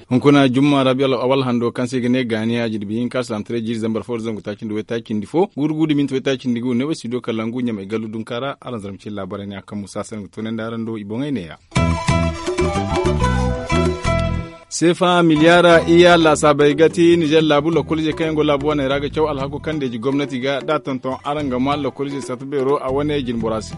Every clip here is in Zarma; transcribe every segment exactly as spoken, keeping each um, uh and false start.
Hunkuna jumma rabi awal hando kaŋ se i ga ne gaani a jirbi hinka salam tare jiiri zambar fo da zangu taaci nda waytaaci nda fo guuru guuru da minti waytaaci nda gu ne way studio kalangu ɲamay gallu dunka ra araŋ zarma cine laabaray ne a kaŋ musa se nga toonandi araŋ do i boŋey neeya. Seefa miliyaara iyya laasaabey ga ti nizer laabu lokoliizey kaŋ yaŋ go laabu wane ra ga caw alhako kaŋ deeji gomnati ga da a tonton araŋ ga ma lokoliizey satta beero a wane jine bora se.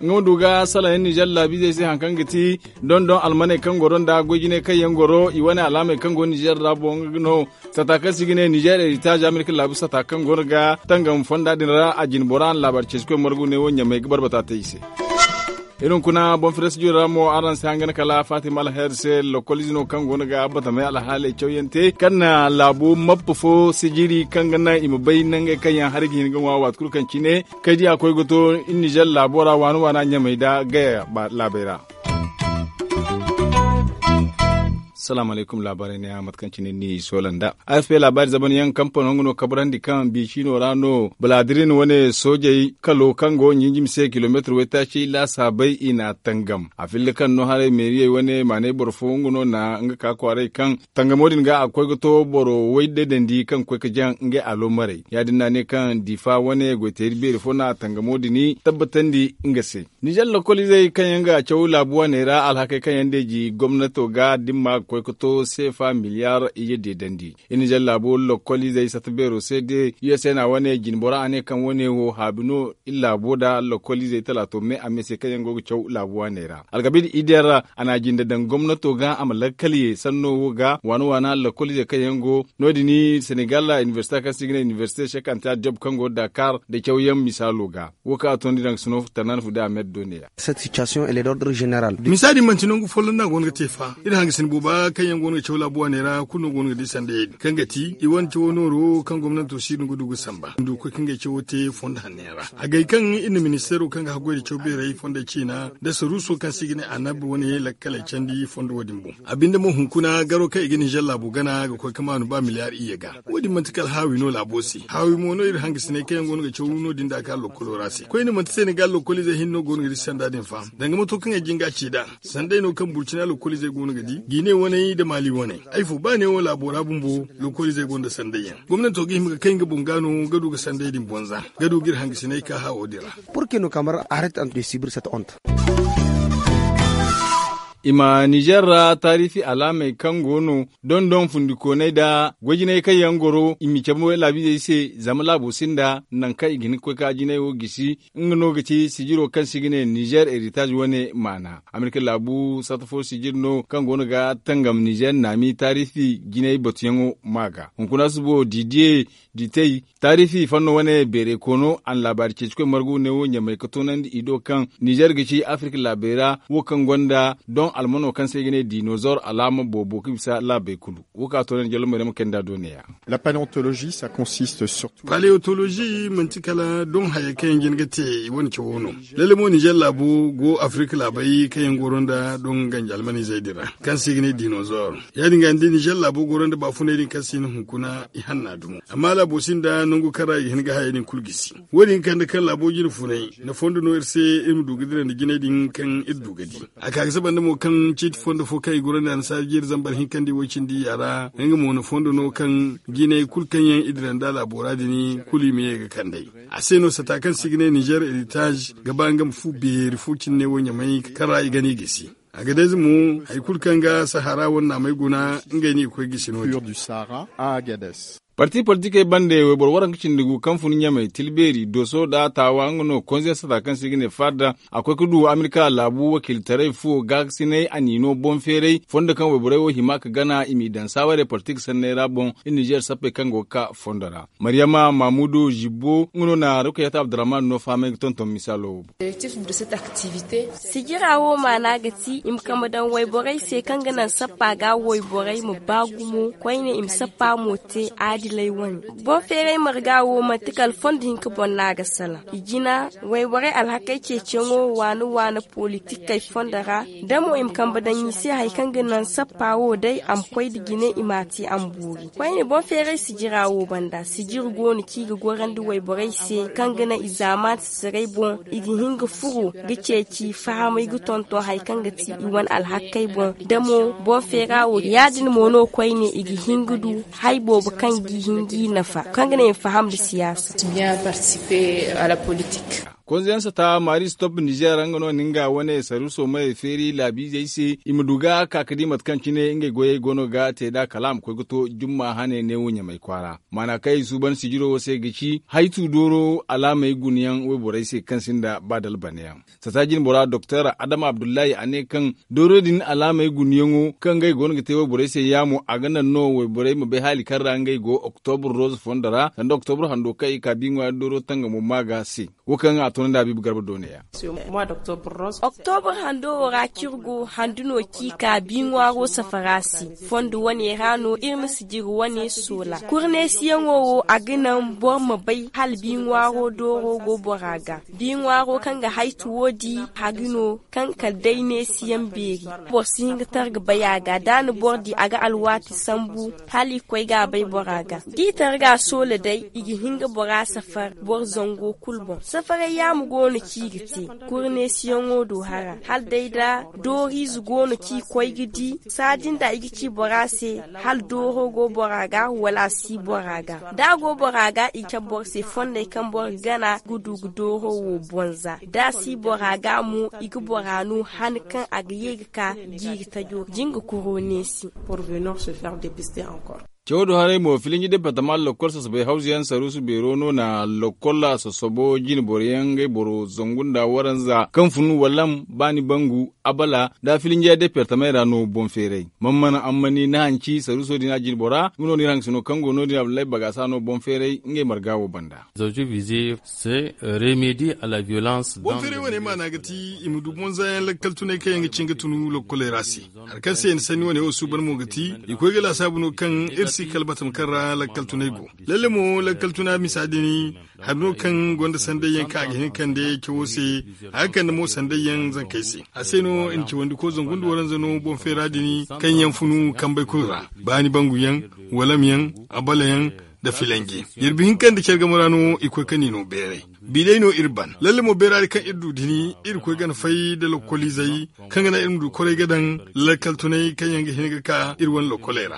Nga ma du ga salaŋ yaŋ nizer laabiizey se hari kaŋ ga ti dondon almaney kaŋ goro nda goy jinay kaŋ yaŋ goro i wane alaamey kaŋ go nizer ra boŋ nga no. Sata kaŋ se i ga ne nizer eritaazi amerika laabu sata kaŋ go no ga tangam fonda din ra a jine bora na laabaari ceeci koy margu ne wo ɲamay ga barbata te i se. Iri hunkuna boŋ fere studio ra mo araŋ si hangan kala fatima alher se lokol ize no kaŋ go no ga batamey alhaaley cawyaŋ te kaŋ na laabu mappa fo sijiri kaŋ ga naŋ i ma bay nangey kaŋ yaŋ hari ga hin ga ŋwa waati kulu kaŋ cine kay di a koy ga to nizer laabo ra waana waana ɲamay da gaya laabey ra. Salaamu alaykum laabaarey ne a mate kaŋ cine ni soola nda a f p laabaari zaban yaŋ kampano nga no kabrandi kaŋ biicino ra no baladirin wane soojey kalo kaŋ go ɲinjimi se kilomeetir waytaaci laasaabey i n'a tangam a filla kaŋ no haray meeriyey wane maanay boro fo nga no na nga ka kwaaray kaŋ tangamo din ga a ga koy ga to boro way daydandi kaŋ ga koy ga jaŋ ngey aloomarey ya- din no a ne kaŋ diifa wane goyteeri beeri fo na tangamo din tabbatandi nga se. Nizer lokoliizey kaŋ yaŋ ga caw laabu waaney ra alhakey kaŋ yaŋ deeji gomnato ga dimma ga koy ga to seefa miliyaar iyye deedandi. Iri nizer laabu lokoliizey satta beero se de u s n a wane jine bora a ne kaŋ wane wo haabi no iri laabo nda lokoliizey talaato me a me se kaŋ yaŋ go ga caw laabu waaney ra alkabiila idiyar ra a na a jinde daŋ gomnato ga a ma lakkal ye sanno wo ga waana waana lokoliizey kaŋ yaŋ go no- din senegal inibersite kaŋ se i ga ne inibersite sekantiya job kaŋ go dakar nda cawyaŋ misaalo ga. Wo kaŋ a toonandi daŋ sino tanaana fu da a me da doone ya. Misa din manti nangu folloŋ no a go no ga te fa iri hangasin booba kaŋ yaŋ go no ga caw laabu waaney ra kulu no go no ga di sandayey din kaŋ ga ti i wane cawo nooro kaŋ gomnanto si no ga du ga samba ndu ga koy kaŋ ga ay cawo te fondo hanno yaŋ ra. A gay kaŋ iri na ministeero kaŋ ga haggoy nda caw beeray fondey ciina nda saruuso kaŋ se i ga ne annabi wane lakkaley candi fondo wo- din boŋ. A binde mo hunkuna garo kaŋ i ga nizer laabu gana ga koy ga maanu ba miliyaar iyye ga. Wo- din manti kala haawi no laabo se haawi mo no iri hangasiney kaŋ yaŋ go no ga caw no- din da a ka lokkolo ra se koyne manti senegal lokkoliizey hinne no go no ga di sanda din fa danga mato kaŋ ay jin ga a ci nd'a. Sanday no kaŋ burcina lokkoliizey go no ga di gine waney nda maali waney ay fo ba neewo laabo ra bumbo lokkoliizey gonda sanday yaŋ gomnanto ga hima ga kay nga boŋ ga no ga du ga sanday din bonza ga du ga iri hangasiney ka haawo din ra. Purke no kamar aret ant de sibir sat ont. I ma nizer ra taarifi alaamey kaŋ go no dondon fundikooney nda goy-jinay kaŋ yaŋ goro i ma cabe laabiizey se zama laabo sinda nangu kaŋ i ga hin ga koy ka jinay wo gisi. Nga no ga ti sijiro kaŋ se i ga ne nizer eritaz wane maana amerika laabu satta fo sijir no kaŋ go no ga tangam nizer naami taarifi jinay batuyaŋo ma ga hunkuna subo didiye ditey taarifi fanno wane beeray koono a na laabaari ceeci koy margu ne wo ɲamay ga toonandi i do kaŋ nizer ga ci afirka laabey ra wo kaŋ gonda don almano kaŋ se i ga ne dinozor alaama boobo ga bisa laabey kulu. Wo kaŋ a toonandi jallo mayrama kay nda do neeya. Paleontolozi manti kala don hayey kaŋ yaŋ jin ga te i wane cawo no. Lalle mo nizer laabo go afirka laabey kaŋ yaŋ goro nda don ganji almanizey din ra kaŋ se i ga ne dinozor. Ya- din ga ni di nizer laabo goro nda baafuney din kaŋ se i na hunkuna i hanna dumo amma laabo sinda nangu kaŋ ra i ga hin ga hayey din kulu gisi. Wo- din ga kande kaŋ laabo jine funay na fondo no iri se iri ma du ga dira nda jinay din kaŋ iri du ga di. A ka ga saba nda mo kaŋ ciiti fondo fo kaŋ i goro nda annasaari jeeri zambar hinkandi way cindi ya ra nga mo na fondo no kaŋ jinay kulu kaŋ yaŋ i dira nda laabo ra din kulu i ma ye ga kand'ey. A se no sata kaŋ se i ga ne nizer eritaz ga ba nga ma fu beeri fo cine wo ɲamay kaŋ ra i gana i gisi. A ga day ze mo hari kulu kaŋ ga sahara wane naamey guna ngey no i ga koy gisi no- din. Parti politikey bande wayboro waranka cindi gu kaŋ fun ɲamay tilbeeri doso nda taawa nga no konze sata kaŋ se i ga ne fadda a koy ga du amerika laabu wakiilitaray fuwo gaakasinay a n'i no boŋ feeray fondo kaŋ wayborey wo hima ga gana i m'i daŋ saawarey politik sanney ra boŋ. Iri nizer sappey kaŋ go ga ka fondo ra maryama mamudu zibbo nga no na rukayata abdurrahman no fahamay ga tonton misaalo wo boŋ. Sijira wo maana ga ti i ma kambe daŋ wayborey se kaŋ ga naŋ sappa ga wayborey ma ba gumo koyne i ma sappa mo te. Boŋ feeray marga wo manti kala fondo hinka boŋ no a ga salaŋ. I jina wayborey alhakey ceeciyaŋo waani waani politikey fondo ra, da mo i ma kambe daŋ i se hari kaŋ ga naŋ sappa wo day a ma koy nda jine i m'a te a ma boori. Koyne boŋ feeray sijira wo banda sijiri go no kaŋ i ga gorandi wayborey se kaŋ ga naŋ i zaamaani sisirey boŋ i ga hin ga furo ga ceeci fahamay ga tonton hari kaŋ ga ti i wane alhakey boŋ. Da mo boŋ feera wo ya- din mo no koyne i ga hin ga du hari boobo kaŋ g'i hin g'i nafa kaŋ ga naŋ i ma faham nda siyaasa. Konzayaŋ sata maari stop nizeer nga no na nga wane saruuso mayey feeri laabiizey se i ma du ga ka ga di mate kaŋ cine ngey goyey go no ga te nd'a kala a ma koy ga to jumma hane neewo ɲamay kwaara. Maana kaŋ i suuban sijiro wo se ga ci haytu dooro alaamey gunayaŋ wayborey se kaŋ sinda ba dalbanayaŋ. Sata jinbora doktor adama abdullahi a ne kaŋ dooro din alaamey gunayaŋo kaŋ ngey go no ga te wayborey se yaamo a ga naŋ no wayborey ma bay haali kaŋ ra ngey go oktobur roz fondo ra sanda oktobur hando kaŋ i ka bi ŋwaari dooro tangamo maaga se. Wo kaŋ a toonandi habiibu garba do ne ya. Oktobur hando wo ra ciri go handu no kaŋ i ka bi ŋwaaro safara se. Fondo wane ra no iri ma sijiri wane soola kurneesiyaŋo wo a ga naŋ boro ma bay hala bi ŋwaaro dooro go bora ga. Bi ŋwaaro kaŋ ga haytu wo di hari no kaŋ kala day neesiyaŋ beeri. Boro si hin ga tara ga bay a ga da a na boro di a ga alwaati sambu hala i koy ga a bay bora ga. Da i tara ga a soola day i ga hin ga bora safar boro zango kulu boŋ safaray yaamo go no kaŋ i ga te. Kurneesiyaŋo do hara hala day da dooriize go no kaŋ i koy ga di. Saadin da i ga ci bora se hala dooro go bora ga wala a si bora ga da a go bora ga i ga cabe boro se fondey kaŋ boro ga gana ga du ga dooro wo bonza da a si bora ga mo i ga bora no han kaŋ a ga ye ga ka jiiri tajo jinga kuro neesi. Cawo do haray mo filinji departama lakkol sasabay hawza yaŋ saruusu beero no na lakkol a sasabo jine boro yaŋ ngey boro zangu nda waranza kaŋ fun walam baani bangu abala nda filinjiya departamey ra no boŋ feeray. Mana mana ammani ni hanci saruuso din a jine bora nga no ni iri haŋ ga sino kaŋ go no- din abdullahi bagasa no boŋ feeray ngey marga wo banda. Boŋ feeray wane maana ga ti i ma du boŋ zaayaŋ lakkal tunay kaŋ yaŋ ga cin ga tunu lokkoley ra se. Hari kaŋ se i na sanni wane wo suuban mo ga ti i koy ga laasaabu no kaŋ iri si kala batama kaŋ ra lakkal tunay go. Lalle mo lakkal tuna misa din hari no kaŋ gonda sanday yaŋ kaŋ a ga hin ga kande cawo se. A ga kande mo sanday yaŋ zankey se a se no i na cawandi ko zangu nda waranza no boŋ feera din kaŋ yaŋ funu kambey kulu ra baani bangu yaŋ, walam yaŋ, abala yaŋ, nda filanji. Jirbi hinka nda care game ra no i koy ka ni no beeray. Bi day no iri ban lalle mo beera din kaŋ iri du din iri koy gana fay nda lokoliizey kaŋ ga naŋ iri ma du koray ga daŋ lakkal tunay kaŋ yaŋ ga hin ga ka iri wane lokoley ra.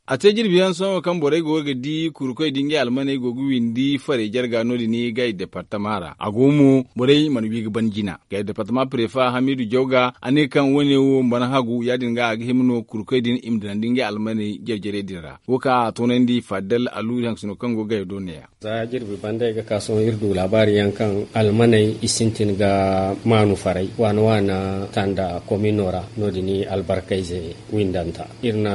A te jirbi yaŋ sohõ kaŋ borey go ga di kurukoy da ngey almaney go ga windi farey jarga no- din gay departama ra a go mo borey mana wi ga ban jina gay departama prefa hamidu jawga a ne kaŋ wane wo mana hagu ya- din ga a ga hima no kurukoy din i ma dinandi ngey almaney jare jarey din ra. Wo kaŋ a toonandi faddal alu iri haŋ ga sino kaŋ go ga gay do ne- ya. Za jirbi banda ay ga ka sohõ iri du laabaari yaŋ kaŋ almaney i sintin ga maanu faray waana waana tanda komino ra no- din albarkayze windanta iri na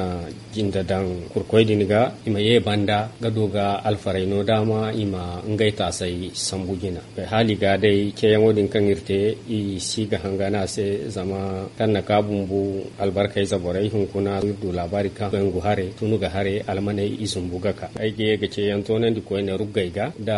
jinde daŋ kurkoy din ga i ma ye banda ga du ga alfaray no daama i ma ngey taasay sambu jina. Haali ga day ceeyaŋo din kaŋ iri te i si ga hanga no a se zama kaŋ na ka bumbu albarkayze borey hunkuna iri du laabaari kaŋ zangu hare tunu ga hare almaney i zumbu ga ka ay ga ye ga ceeyaŋ toonandi koyne ruggey ga nda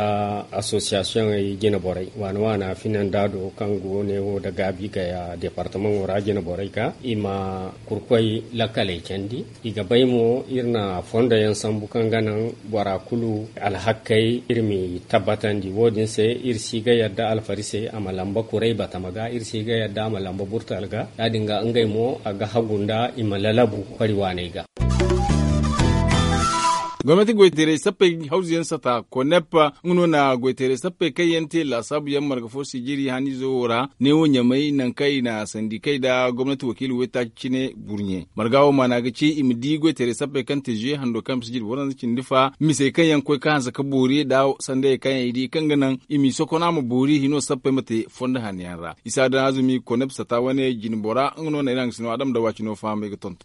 asosiyasiyoŋey jine borey waana waana finandaado kaŋ go neewo nda gaabi gaya departamaŋo ra jine borey ga i ma kurkoy lakkaley candi. I ga bay mo iri na fondo yaŋ sambu kaŋ ga naŋ bora kulu alhakkey iri m'i tabbatandi wo- din se iri si ga yadda alfari se a ma lamba kuray batama ga iri si ga yadda a ma lamba burtal ga ya- din ga ngey mo a ga hagu nda i ma lalabu fari waaney ga. Gomnati goyteeray sappey hawzu yaŋ sata konep nga no na goyteeray sappey kaŋ yaŋ te laasaabu yaŋ marga fo sijiri haniizo wo ra neewo ɲamay nangu kaŋ i na sandikey nda gomnati wakiila waytaaci cine burɲe marga wo maana ga ci i ma di goyteeray sappey kaŋ te zuye hando kaŋ bisa jiri waranza cindi fa misey kaŋ yaŋ koy ka hanse ka boori nda sandayey kaŋ yaŋ i di kaŋ ga naŋ i m'i sokon a ma boori hino sappey ma te fondo hanno yaŋ ra isa daŋ azumi konep sata wane jine bora nga no na iri haŋ ga sino adama dawaacino fahamay ga tonton.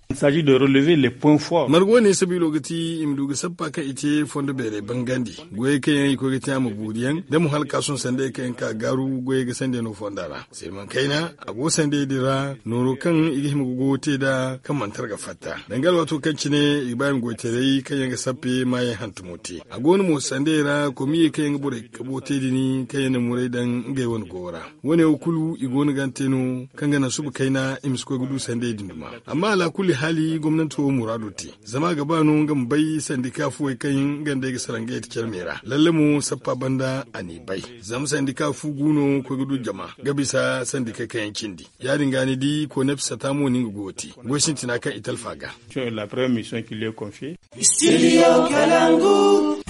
Marga wane sabiilo ga ti i ma du ga Sappa kaŋ i te fondo beeray bangandi, goyey kaŋ yaŋ i koy ga te a ma buuri yaŋ da mo hala ka sohõ sandey kaŋ yaŋ ka gaaru goyey ga sande no fonda ra. Sirman kayna a go sandey din ra nooro kaŋ i ga hima ga goyo te nd'a kaŋ mana tara ga fatta danga alwaato kaŋ cine i ga ba i ma goytaray kaŋ yaŋ ga sappe maayaŋ hantumo te. A go no mo sandey ra komiyey kaŋ yaŋ ga borey kabo te din kaŋ yaŋ na muray daŋ ngey wane goyo ra. Wo- ne wo kulu i go no ga a te no kaŋ ga naŋ suba kayna i ma si koy ga du sandey din duma. Amma alaakulli haali gomnanti wo muraado te zama a ga ba no nga ma bay sandika fuwey kaŋ nga nd'ey ga sara ngey te care me ra lalle mo sappa banda a n'i bay. Zama sandika fu gu no koy ga du jama ga bisa sandikey kaŋ yaŋ cindi. Ya- din ga ni di konep sata mo no nga go ga te goy sintina kaŋ i talfa ga.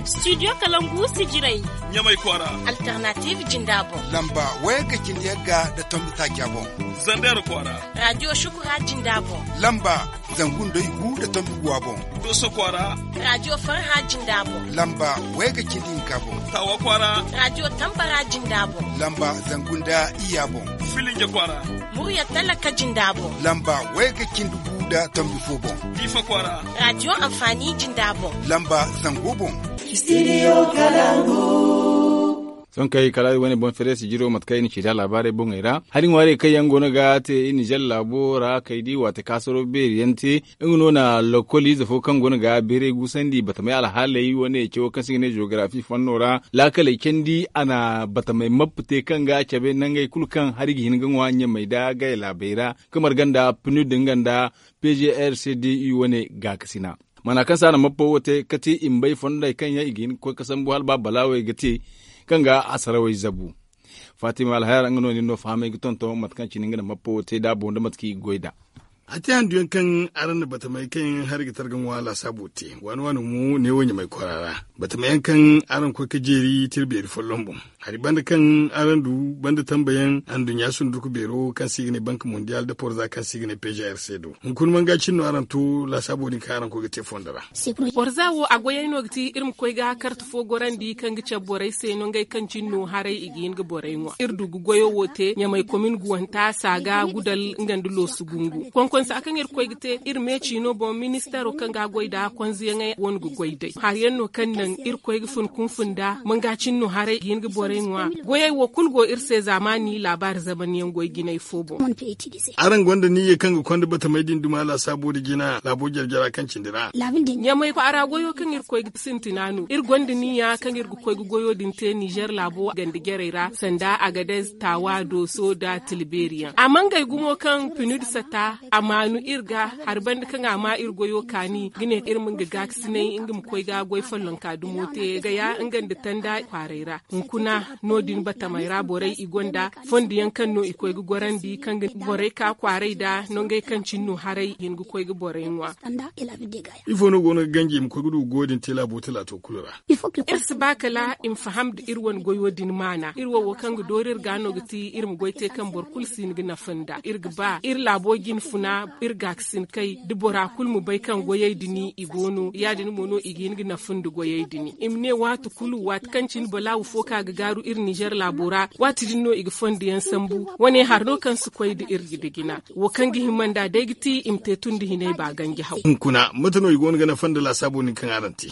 Studio kalangu sijirey ɲamay kwaara. Alternative jinda boŋ. Lamba wayga cindi yagga nda tombi taaca boŋ. Zandar kwaara. Radio shukura jinda boŋ. Lamba zangu nda igu nda tombi guwa boŋ. Doso kwaara. Radio farha jinda boŋ. Lamba wayga cindi hinka boŋ. Tawa kwaara. Radio tambara jinda boŋ. Lamba zangu nda iya boŋ. Filinge kwaara. Murya talaka jinda boŋ. Lamba wayga cindi gu nda tombi fo boŋ. Difa kwaara. Radio amfani jinda boŋ. Lamba zango boŋ. Studio kalangu. Sohõ kay kala iri wane boŋ feere sijiro mate kaŋ i na ci da laabaarey boŋey ra hari ŋwaarey kaŋ yaŋ go no ga te i nizer laabo ra kay di waati kaasaro beeri yaŋ te. Nga no na lokol ize fo kaŋ go no ga beeray guusandi batamay alhaaley wane cawo kaŋ se i ga ne jeogarafi fanno ra laakaley candi a na batamay mappe te kaŋ ga cabe nangey kulu kaŋ hari ga hin ga ŋwa ɲamey nda gaya laabey ra. Ga marga nda pnud nga nda p g r c d u wane gaakasina. Mana kaŋ se a na mappa wo te kati i ma bay fondey kaŋ yaŋ i ga hin ga koy ga sambu hala ba balaawey ga te kaŋ ga asarawey zabu. Fatima alhayar nga no nin no fahamay ga tonton mate kaŋ cine nga na mappa wo te da a boŋ da mate kaŋ i ga goy nd'a. A te handu yaŋ kaŋ araŋ na batamey kaŋ yaŋ hari ga tara ga ŋwa laasaabo te waani waani mo neewo ɲamay kwaara ra. Batamey yaŋ kaŋ araŋ koy ga jeeri tira beeri folloŋ boŋ hari banda kaŋ araŋ du banda tambayaŋ anduɲɲa sunduku beero kaŋ se i ga ne bank mondial nda porza kaŋ se i ga ne p g r c do. Hunkuna manga cine no araŋ to laasaabo din kaŋ araŋ koy ga te fondo ra. Porza wo a goyey no ga ti iri ma koy ga karte fo gorandi kaŋ ga cabe borey se no ngey kaŋ cine no haray i ga hin ga borey ŋwa iri du ga goyo wo te ɲamay komin guwanta saaga gudal nga nda loosu gungu konkonsa kaŋ iri koy ga te iri meeci no boŋ ministeero kaŋ ga a goy nd'a konzeyaŋey wane ga goy day hari yaŋ no kaŋ naŋ iri koy ga fun kunfun nd'a manga cine no haray ga hin ga borey ŋwa. Goyey wo kulu go iri se zaamaani laabaari zamanyaŋ goy jinay fo boŋ. Araŋ gonda niyya kaŋ ga konda batamey din duma laasaabo da jina laabo jare-jara kaŋ cindi ra. Ɲamay kwaara goyo kaŋ iri koy ga sintina no iri gonda niyya kaŋ iri ga koy ga goyo din te nizer laabo ganda jarey ra sanda agadez taawa dooso nda tilbeeri yaŋ a mangay gumo kaŋ pinud sata a maanu iri ga hari banda kaŋ a ma iri goyo kaani ga ne iri ma nga gaakasinay nga ma koy ga goy follonka dumo te gaya nga nda tanda kwaaray ra. Hunkuna no- din batamey ra borey i gonda fondo yaŋ kaŋ no i koy ga gorandi kaŋ ga borey ka kwaaray da nongey kaŋ cine no haray i hin ga koy ga borey ŋwa. Ifo no go no ga ganji i ma koy ga du ga goyo din te laabo talaato kulu ra? Iri si ba kala i ma faham nda iri wane goyo din maana iri wo wo kaŋ ga doori iri ga no ga ti iri ma goy te kaŋ boro kulu si hin ga nafa nda iri ga ba iri laabo jine funa iri gaakasinkey da bora kulu ma bay kaŋ goyey din i go no ya- din mo no i ga hin ga nafa nda goyey din i ma ne waati kulu waati kaŋ cine balaawu fo ka ga gaaru iri nizer laabo ra waati din no i ga fondo yaŋ sambu wane hari no kaŋ si koy nda iri ga dijina wo kaŋ ga hima nd'a day ga ti i ma te tun da hinay ba ganji haw. Hunkuna mate no i go no ga nafa nda laasaabo din kaŋ araŋ te?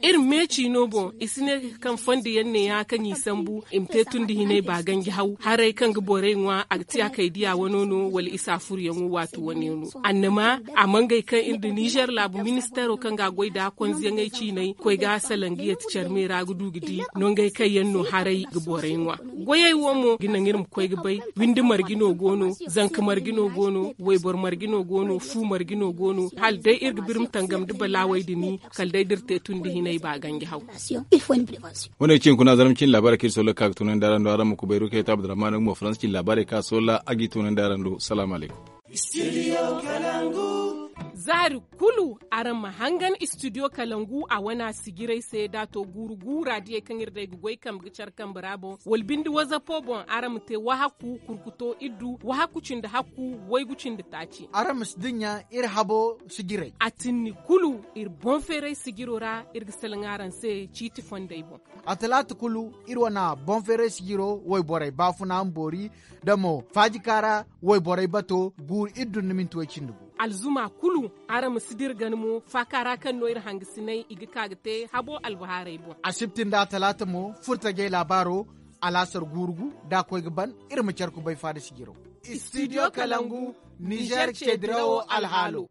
Iri meeci no boŋ i si ne kaŋ fondo yaŋ ne ya kaŋ i sambu i ma te tun da hinay ba ganji haw haray kaŋ ga borey ŋwa a ga ti a kay diya wano no wala isa furu yaŋo waati wane no annama a mangay kaŋ iri nda nizer laabu ministeero kaŋ ga a goy nda konzeyaŋey ciinay koy ga salaŋ ga yati care me ra ga du ga di nongey kaŋ yaŋ no haray ga borey ŋwa. Goyey wo mo ga naŋ iri ma koy ga bay windi marje no go no, zanka marje no go no, wayboro marje no go no, fu marje no go no hala day iri ga birma tangam nda balaawey din kala day da iri te tun da hinay ba ganji haw. Wane ga ci hunkuna zarma cine laabaarey kaŋ iri soola ga ka ga toonandi araŋ do araŋ ma kubayru kay to abdurrahman nga mo faransa cine laabaarey kaŋ a soola a g'i toonandi araŋ do salaamu alaykum. Zaari kulu araŋ ma hangan studio kalangu a wana sijirey se da to guuru guura diyey kaŋ iri day ga goy kambe ga care kambe ra boŋ wala binde wazapo boŋ araŋ ma te wahakku kurkuto iddu wahakku cindi hakku waygu cindi taaci. Araŋ ma si dinya iri habo sijirey a tinni kulu iri boŋ feeray sijiro ra iri ga salaŋ araŋ se ciiti fondey boŋ. A talaata kulu iri wana boŋ feeray sijiro wayborey baafuna ma boori da mo faajikaara wayborey bato guuru iddu nda minti way cindi gu. alzuma kulu. Araŋ ma si dira gana mo faaka ra kaŋ no iri hangasinay i ga ka ga te habo albahaarey boŋ. Asibti nda talaata mo furtajey laabaaro. Alaasar guurugu da a koy ga ban. Iri ma care kubay faada sijiro. Studio kalangu, nizer ce dirawo alhaalo.